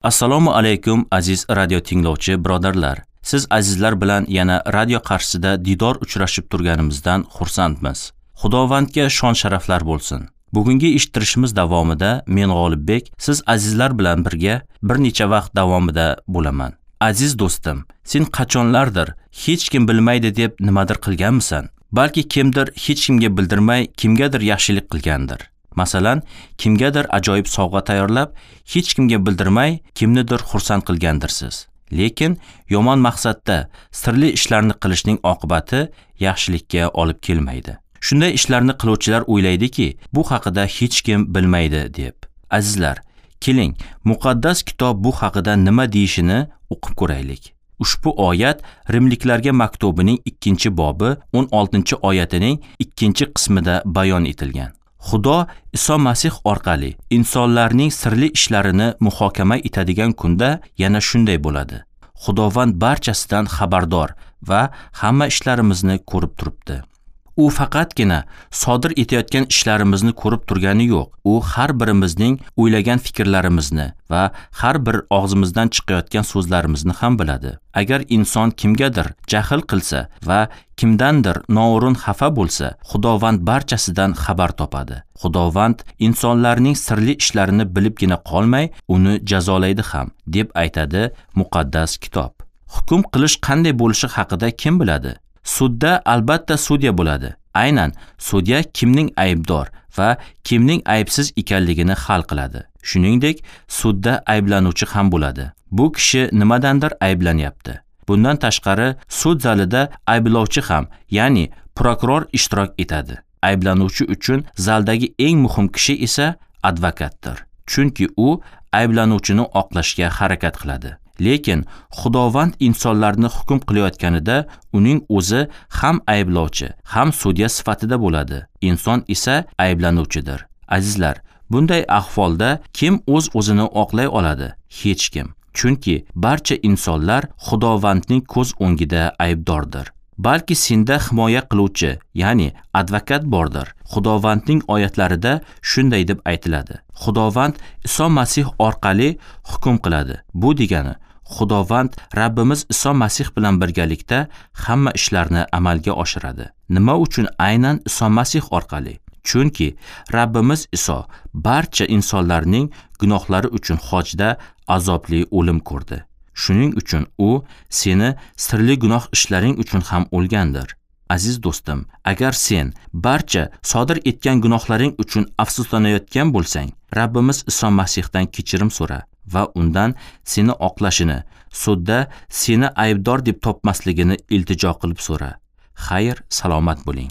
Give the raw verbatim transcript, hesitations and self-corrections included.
Assalomu alaykum aziz radio tinglovchi birodarlar. Siz azizlar bilan yana radio qarshisida didor uchrashib turganimizdan xursandmiz. Xudovandga shon sharaflar bo'lsin. Bugungi eshittirishimiz davomida men G'olibbek siz azizlar bilan birga bir necha vaqt davomida bo'laman. Aziz do'stim, sen qachonlardir hech kim bilmaydi deb nimadir qilganmisan? Balki kimdir hech kimga bildirmay kimgadir yaxshilik qilgandir. Masalan, kimgadir ajoyib sovg'a tayyorlab, hech kimga bildirmay kimnidir xursand qilgandirsiz. Lekin yomon maqsadda sirli ishlarni qilishning oqibati yaxshilikka olib kelmaydi. Shunday ishlarni qiluvchilar o'ylaydiki, bu haqida hech kim bilmaydi deb. Azizlar, keling, muqaddas kitob bu haqida nima deyishini o'qib ko'raylik. Ushbu oyat Rimliklarga maktubining ikkinchi bobi o'n oltinchi oyatining ikkinchi qismida bayon etilgan. Xudo Iso Masih orqali insonlarning sirli ishlarini muhokama etadigan kunda yana shunday bo'ladi. Xudovand barchasidan xabardor va hamma ishlarimizni ko'rib turibdi. U faqatgina sodir etayotgan ishlarimizni ko'rib turgani yo'q. U har birimizning o'ylagan fikrlarimizni va har bir og'zimizdan chiqayotgan so'zlarimizni ham biladi. Agar inson kimgadir jahl qilsa va kimdandir noo'rin xafa bo'lsa, Xudovand barchasidan xabar topadi. Xudovand insonlarning sirli ishlarini bilibgina qolmay, uni jazolaydi ham, deb aytadi muqaddas kitob. Hukm qilish qanday bo'lishi haqida kim biladi? Sudda albatta sudya bo'ladi. Aynan sudya kimning aybdor va kimning aybsiz ekanligini hal qiladi. Shuningdek, sudda ayblanuvchi ham bo'ladi. Bu kishi nimadandir ayblanyapti. Bundan tashqari, sud zalida ayblovchi ham, ya'ni prokuror ishtirok etadi. Ayblanuvchi uchun zaldagi eng muhim kishi esa advokatdir. Chunki u ayblanuvchini oqlashga harakat qiladi. Lekin Xudovand insonlarni hukm qilayotganida uning o'zi ham ayblovchi, ham sudya sifatida bo'ladi. Inson esa ayblanuvchidir. Azizlar, bunday ahvolda kim o'z-o'zini oqlay oladi? Hech kim. Chunki barcha insonlar Xudovandning ko'z o'ngida aybdordir. Balki senda himoya qiluvchi, ya'ni advokat bordir. Xudovandning oyatlarida shunday deb aytiladi. Xudovand Iso Masih orqali hukm qiladi. Bu degani Xudovand Rabbimiz Iso Masih bilan birgalikda hamma ishlarni amalga oshiradi. Nima uchun aynan Iso Masih orqali? Chunki Rabbimiz Iso barcha insonlarning gunohlari uchun xochda azobli o'lim ko'rdi. Shuning uchun u seni sirli gunoh ishlaring uchun ham o'lgandir. Aziz do'stim, agar sen barcha sodir etgan gunohlaring uchun afsuslanayotgan bo'lsang, Rabbimiz Iso Masihdan kechirim so'ra va undan seni oqlashini, sudda seni aybdor deb topmasligini iltijo qilib so'ra. Xayr, salomat bo'ling.